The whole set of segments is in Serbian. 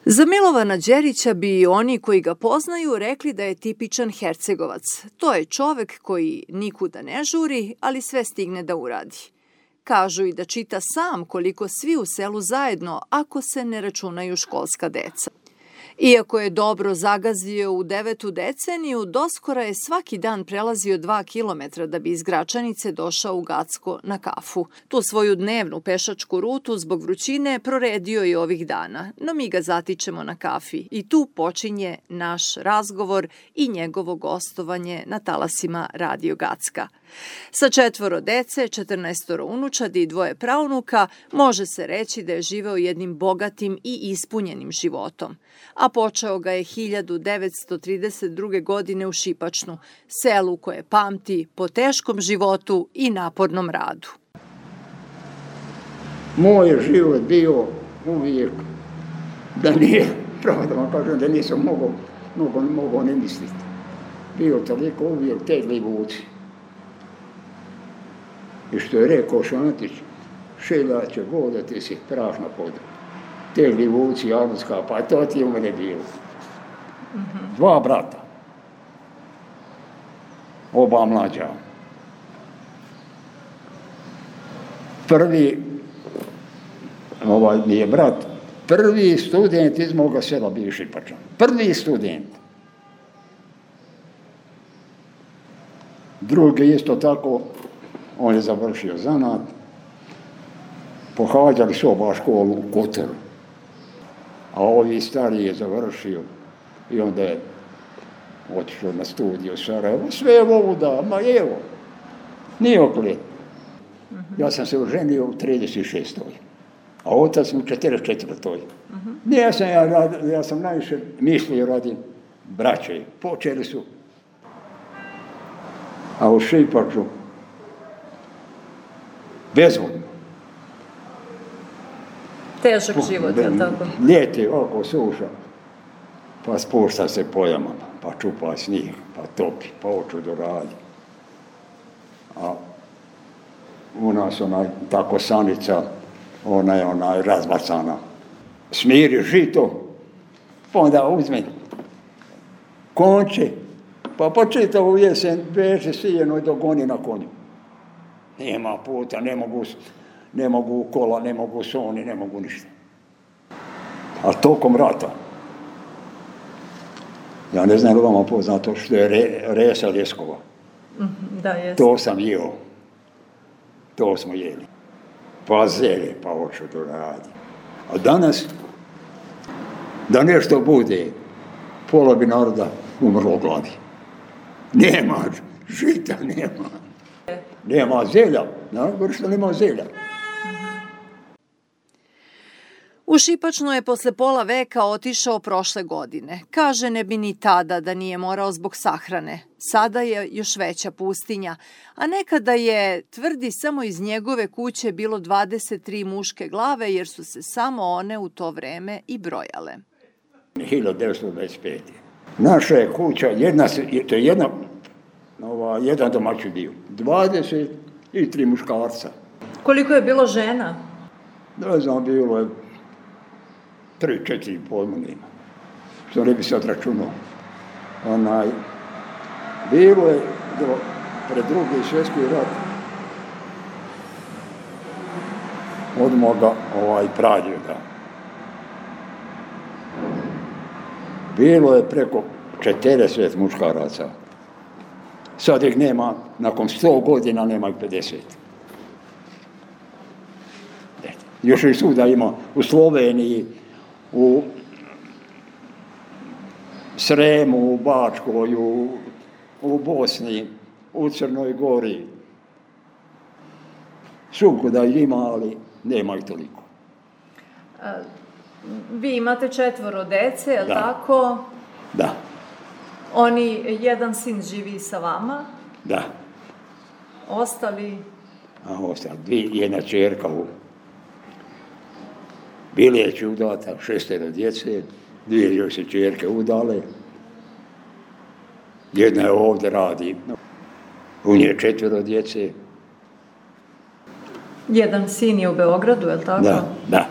Za Milovana Đerića bi oni koji ga poznaju rekli da je tipičan Hercegovac. To je čovek koji nikuda ne žuri, ali sve stigne da uradi. Kažu i da čita sam koliko svi u selu zajedno, ako se ne računaju školska deca. Iako je dobro zagazio u 9. deceniju, doskora je svaki dan prelazio 2 kilometra da bi iz Gračanice došao u Gacko na kafu. Tu svoju dnevnu pešačku rutu zbog vrućine proredio i ovih dana, no mi ga zatičemo na kafi i tu počinje naš razgovor i njegovo gostovanje na talasima Radio Gacka. Sa 4 dece, 14 unučadi i 2 praunuka može se reći da je živeo jednim bogatim i ispunjenim životom, a počeo ga je 1932. godine u Šipačnu, selu koje pamti po teškom životu i napornom radu. Moj je život bio uvijek da nije, pravo da vam kažem, da nisam mogao ne misliti. Bio toliko uvijek tegli vuci. I što je rekao Šantić, šelaće voda, ti si prašna poda. Tegli vuci, Januska, pa to ti je u mene bilo. 2 brata. Oba mlađa. Prvi, mi je brat, prvi student iz moga sela bio Šipačan. Prvi student. Drugi isto tako, on je završio zanat. Pohađali su oba školu u Kotoru. A ovi stariji je završio i onda je otišao na studiju u Sarajevo. Sve je ovuda, ma evo, nijokle. Ja sam se oženio u 36. A otac u 44. Ja sam najviše mislio radi braće. Počeli su. A u Šipaču bezvoljno. Težak život, je li tako? Ljeti oko suša, pa spušta se po jamama, pa čupa snijeg, pa topi, pa oču do radi. A u nas tako sanica, ona je razbacana. Smiri žito, pa onda uzme konče, pa počita u jesen veže sijeno i dogoni na konju. Nema puta, ne mogu kola, ne mogu soni, ne mogu ništa. A tokom rata, ja ne znam li vama poznato što je resa ljeskova. Da, jeste. To sam jeo. To smo jeli. Pa zelje, pa oču do radi. A danas, da nešto bude, pola bi naroda umrlo gladi. Nema žita, nema. Nema zelja, najgore što nema zelja. U Šipačnu je posle pola veka otišao prošle godine. Kaže, ne bi ni tada da nije morao zbog sahrane. Sada je još veća pustinja, a nekada je, tvrdi, samo iz njegove kuće bilo 23 muške glave, jer su se samo one u to vreme i brojale. 1925. Naša je kuća, to je jedan domaći dio. 23 muškarca. Koliko je bilo žena? Ne znam, bilo je 3-4 pojma nema. Što ne bi se odračunao. Bilo je pred Drugi svjetski rat od moga pradjeda. Bilo je preko 40 muškaraca. Sad ih nema, nakon 100 godina nema ih 50. Još i svuda ima u Sloveniji, u Sremu, u Bačkoj, u Bosni, u Crnoj Gori. Svukuda ima, ali nema ih toliko. Vi imate 4 dece, je li tako? Da. Jedan sin živi sa vama? Da. Ostali? Jedna čerka u Biljeću udata, 6 djece, 2 još se čerke udale. Jedna je ovdje radi, u nje 4 djece. Jedan sin je u Beogradu, je li tako? Da.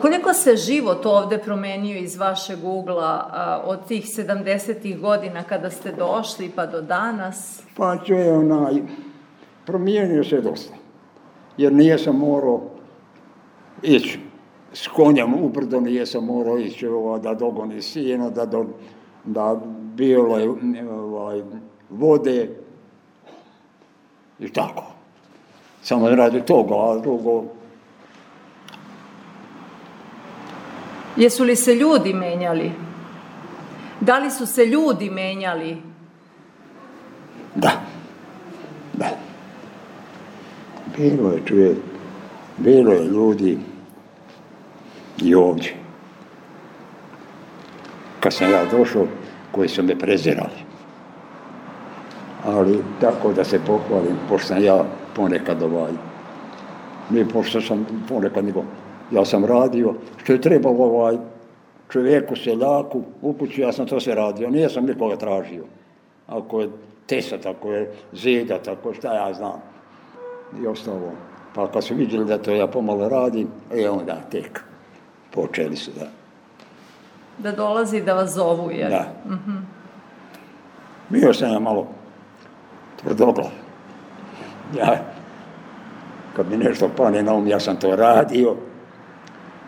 Koliko se život ovde promenio iz vašeg ugla od tih 70-ih godina kada ste došli pa do danas? Pa promijenio se dosta. Jer nisam morao ići s konjem ubrdo, nisam morao ići da dogoni sina, da bilo je vode i tako. Samo radi toga, a drugo... Jesu li se ljudi menjali? Da li su se ljudi menjali? Da. Bilo je ljudi i ovdje. Kad sam ja došao, koji su me prezirali. Ali tako da se pohvalim, pošto sam ja ponekad nije pošto sam ponekad nego, ja sam radio, što je trebalo čovjeku, seljaku, u kući, ja sam to sve radio, nisam nikoga tražio. Ako je tesat, ako je zidat, ako šta ja znam. I ostalo. Pa kad su vidjeli da to ja pomalo radim, onda tek počeli su da dolazi da vas zovu, jer? Da. Bio sam ja malo tvrdoglav. Kad mi nešto pane na ja sam to radio,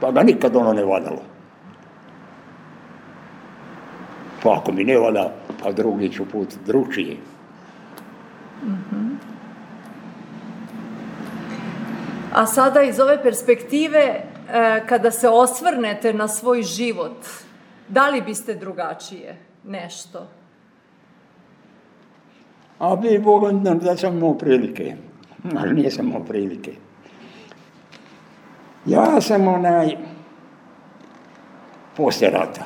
pa ga nikad ono ne valjalo. Pa ako mi ne valja, pa drugi ću put drugčije. A sada iz ove perspektive, kada se osvrnete na svoj život, da li biste drugačije nešto? A bi Boga da sam imao prilike, ali nisam imao prilike. Ja sam poslije rata.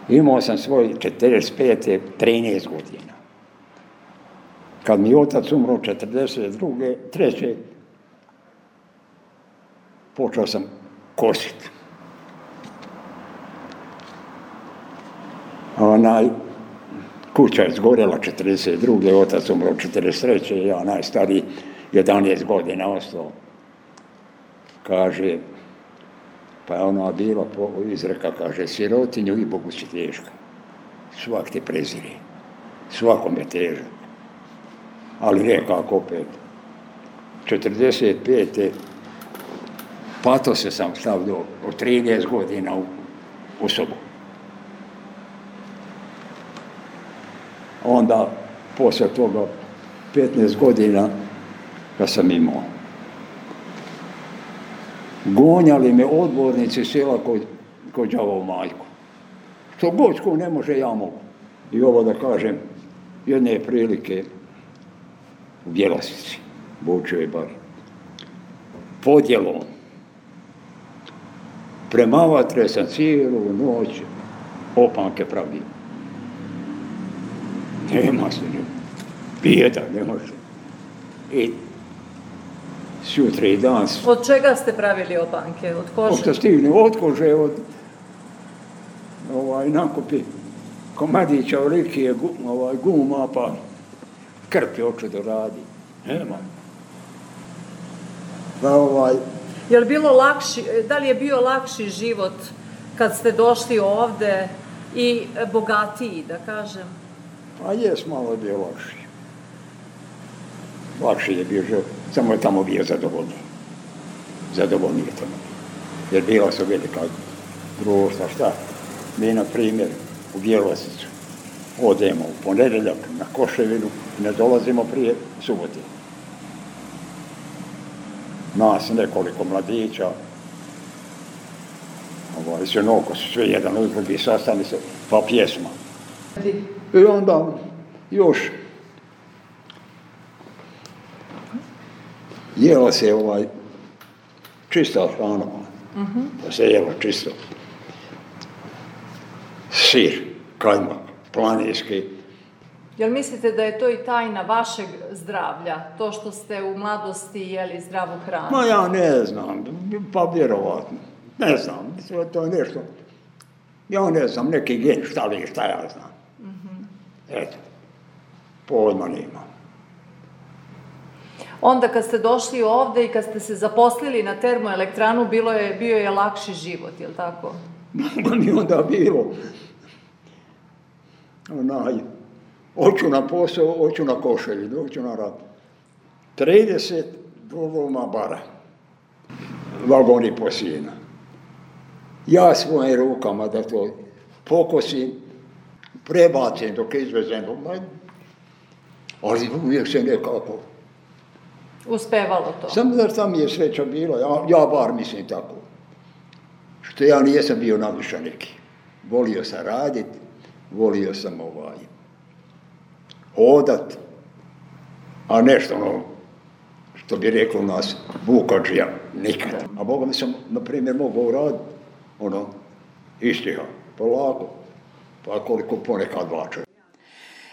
Imao sam svoj 45. 13 godina. Kad mi otac umro 42. 3. počeo sam kositi. Kuća je zgorela 42. Otac umro 43. Ja najstariji 11 godina ostao. Kaže, pa je ona bila izreka, kaže, sirotinju i Bogu si teška. Svak te prezire. Svakom je težak. Ali nekako opet. 45. pato se sam stavio od 13 godina u sobu. Onda, poslije toga, 15 godina, kad sam imao. Gonjali me odbornici sela kod đavovu majku. Što god ko ne može, ja mogu. I ovo da kažem, jedne prilike u Bjelosici, Bučevoj bar, podjelom. Prema vatre sam cijelu noć opanke pravio. Nema se, bijeda, ne može. I sutra i dan... Od čega ste pravili opanke? Od kože? Od kože, od nakupi komadića, olikije, guma, pa krpi oču da radi. Nema. Da li je bio lakši život kad ste došli ovde i bogatiji, da kažem? Pa jes, malo je bio lakši. Lakši je bio život, samo je tamo bio zadovoljniji. Zadovoljniji je tamo. Jer bila su velika društva, šta? Mi, na primjer, u Bjelosicu odemo u ponedjeljak na Koševinu i ne dolazimo prije subote. Nas nekoliko mladića, sinoko su sve jedan uz drugi, sastani se, pa pjesma. I onda još jelo se čista hrana, pa se jelo čisto. Sir, kajmak, planinski. Jel mislite da je to i tajna vašeg zdravlja, to što ste u mladosti jeli zdravu hranu? Ma ja ne znam, pa vjerovatno. Ne znam, to je nešto. Ja ne znam, neki gen, šta ja znam. Eto, pojma nema. Onda kad ste došli ovde i kad ste se zaposlili na termoelektranu, bio je lakši život, je li tako? Mi onda bilo. Hoću na posao, hoću na košelji, hoću na rad. 30 voluma bara. Vagoni posijena. Ja svojim rukama da to pokosim, prebacim dok je izvezem. Ali uvijek se nekako... Uspevalo to. Samo da tam je sreća bila, ja bar mislim tako. Što ja nijesam bio naviša neki. Volio sam radit, volio sam hodat, a nešto što bi reklo nas, vukađija, nikad. A Boga mi sam, na primjer, mogao raditi, istiha, polako, pa koliko ponekad vače.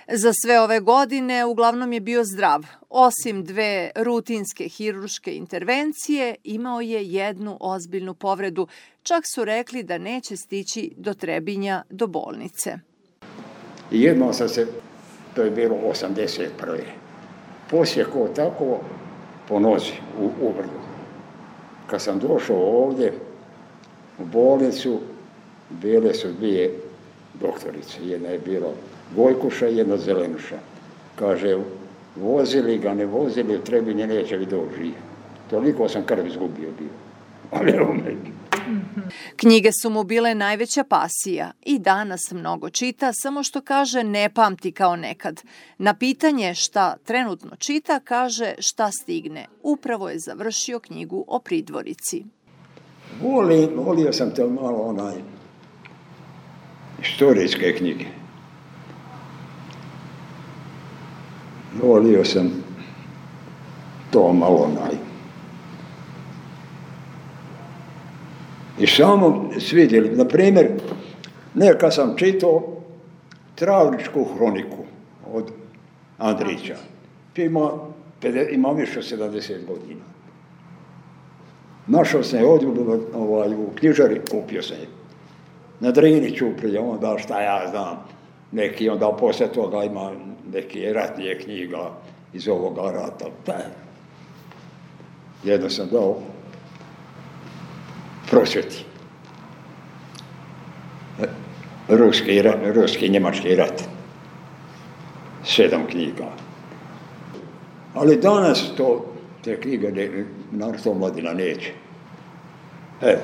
Za sve ove godine uglavnom je bio zdrav. Osim 2 rutinske hirurške intervencije, imao je 1 ozbiljnu povredu. Čak su rekli da neće stići do Trebinja, do bolnice. I jednom sam se, to je bilo 81. Poslije ko tako, po nozi, u brdu. Kad sam došao ovdje, u bolnicu, bile su 2 doktorice. Jedna je bila Gojkuša i jedna Zelenuša. Kaže, vozili ga, ne vozili, u Trebinje neće li doći. Toliko sam krv izgubio bio. Ali evo me. Knjige su mu bile najveća pasija i danas mnogo čita, samo što kaže ne pamti kao nekad. Na pitanje šta trenutno čita, kaže šta stigne. Upravo je završio knjigu o Pridvorici. Volio sam to malo istorijske knjige. Volio sam to malo I samo svidjeli, na primjer, neka sam čitao Travničku hroniku od Andrića. Ima više od 70 godina. Našao sam je ovdje u knjižari, kupio sam je. Na Drini Ćuprije, onda šta ja znam, neki onda poslije toga ima neke ratnije knjiga iz ovoga rata. Jedno sam dao Prosvjeti. Ruski i njemački rat. 7 knjiga. Ali danas te knjige, naravno mladina neće. Evo,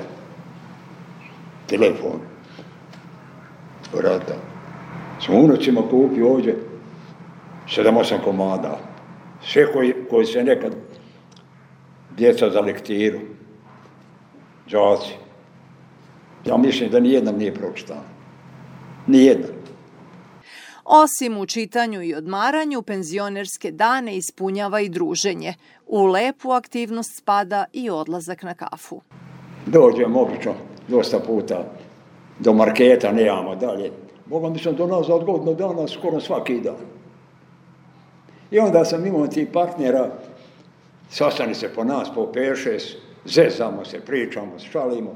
telefon, rata. Sam unucima kupio ovdje 7-8 komada. Sve koji se nekad djeca za lektiru, đaci. Ja mislim da nijednom nije pročitano. Nijednom. Osim u čitanju i odmaranju, penzionerske dane ispunjava i druženje. U lepu aktivnost spada i odlazak na kafu. Dođem obično, dosta puta, do marketa, nemamo dalje. Boga mi sam do nas za godinu dana, skoro svaki dan. I onda sam imao tih partnera, sastani se po nas, po 5-6, zezamo se, pričamo, šalimo.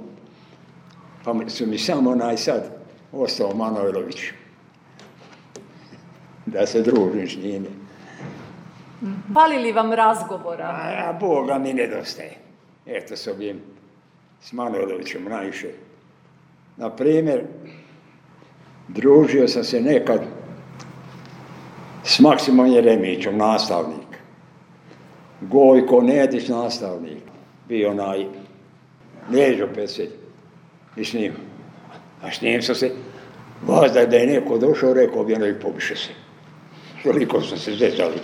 Pa su mi samo sad ostao Manojlović. Da se družim s njime. Fali li vam razgovora? A Boga mi nedostaje. Eto s ovim, s Manojlovićem najviše. Na primjer, družio sam se nekad s Maksimom Jeremićem, nastavnik. Gojko Nedić, nastavnik. Bio Neđo Pecelj. I s njim. A s njim sam se, vazda da je neko došao, rekao bi ono i pobiše se. Toliko sam se zezali.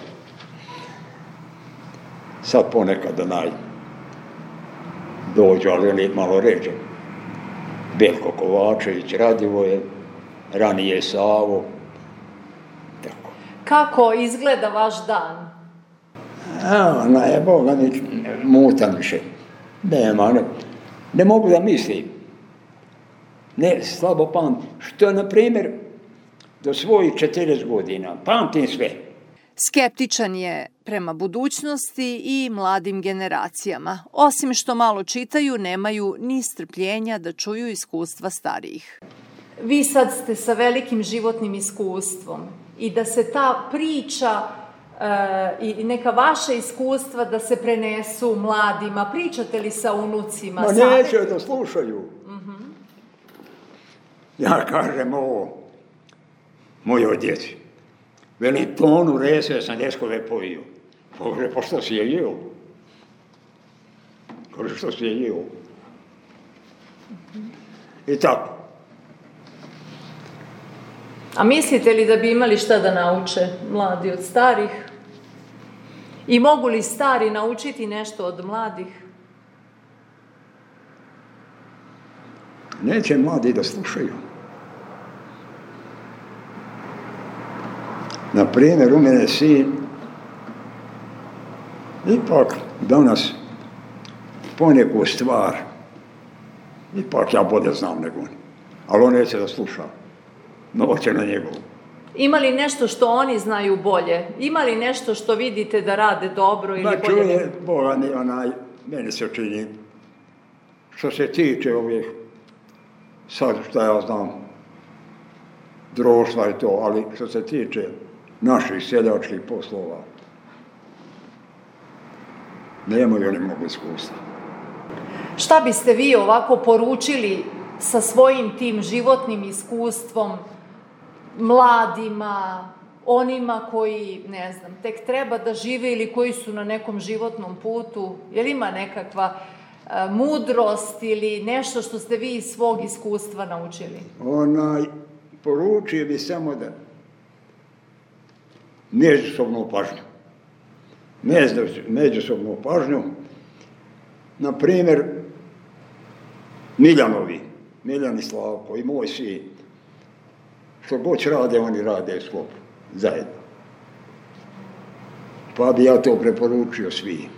Sad ponekad dođu, ali oni malo ređe. Belko Kovačević, Radivoje, ranije Savo. Tako. Kako izgleda vaš dan? Boga mi mutan više. Ne mogu da mislim. Ne, slabo pamtim. Što, na primjer, do svojih 40 godina pamtim sve. Skeptičan je prema budućnosti i mladim generacijama. Osim što malo čitaju, nemaju ni strpljenja da čuju iskustva starijih. Vi sad ste sa velikim životnim iskustvom i da se ta priča i neka vaša iskustva da se prenesu mladima? Pričate li sa unucima? Ma neće da slušaju. Ja kažem ovo mojoj djeci. Veli, tonu rese sam ljeskove pojio. Kaže, pa što si je jeo? Kaže, što si je jeo? I tako. A mislite li da bi imali šta da nauče mladi od starih? I mogu li stari naučiti nešto od mladih? Neće mladi da slušaju. Na primjer, u mene sin, ipak danas poneku stvar, ipak ja bolje znam nego on, ali on neće da sluša. Noće na njegovu. Ima li nešto što oni znaju bolje? Ima li nešto što vidite da rade dobro ili bolje? Čuje, Boga, meni se čini, što se tiče ovih, sad šta ja znam, društva i to, ali što se tiče naših seljačkih poslova, nemaju oni mnogo iskustva. Šta biste vi ovako poručili sa svojim tim životnim iskustvom mladima, onima koji, ne znam, tek treba da žive ili koji su na nekom životnom putu? Je li ima nekakva mudrost ili nešto što ste vi iz svog iskustva naučili? Poručio bi samo da međusobnu pažnju. Međusobnu pažnju. Na primjer, Miljan i Slavko i moj sin, što god rade, oni rade sklopu, zajedno. Pa bi ja to preporučio svim.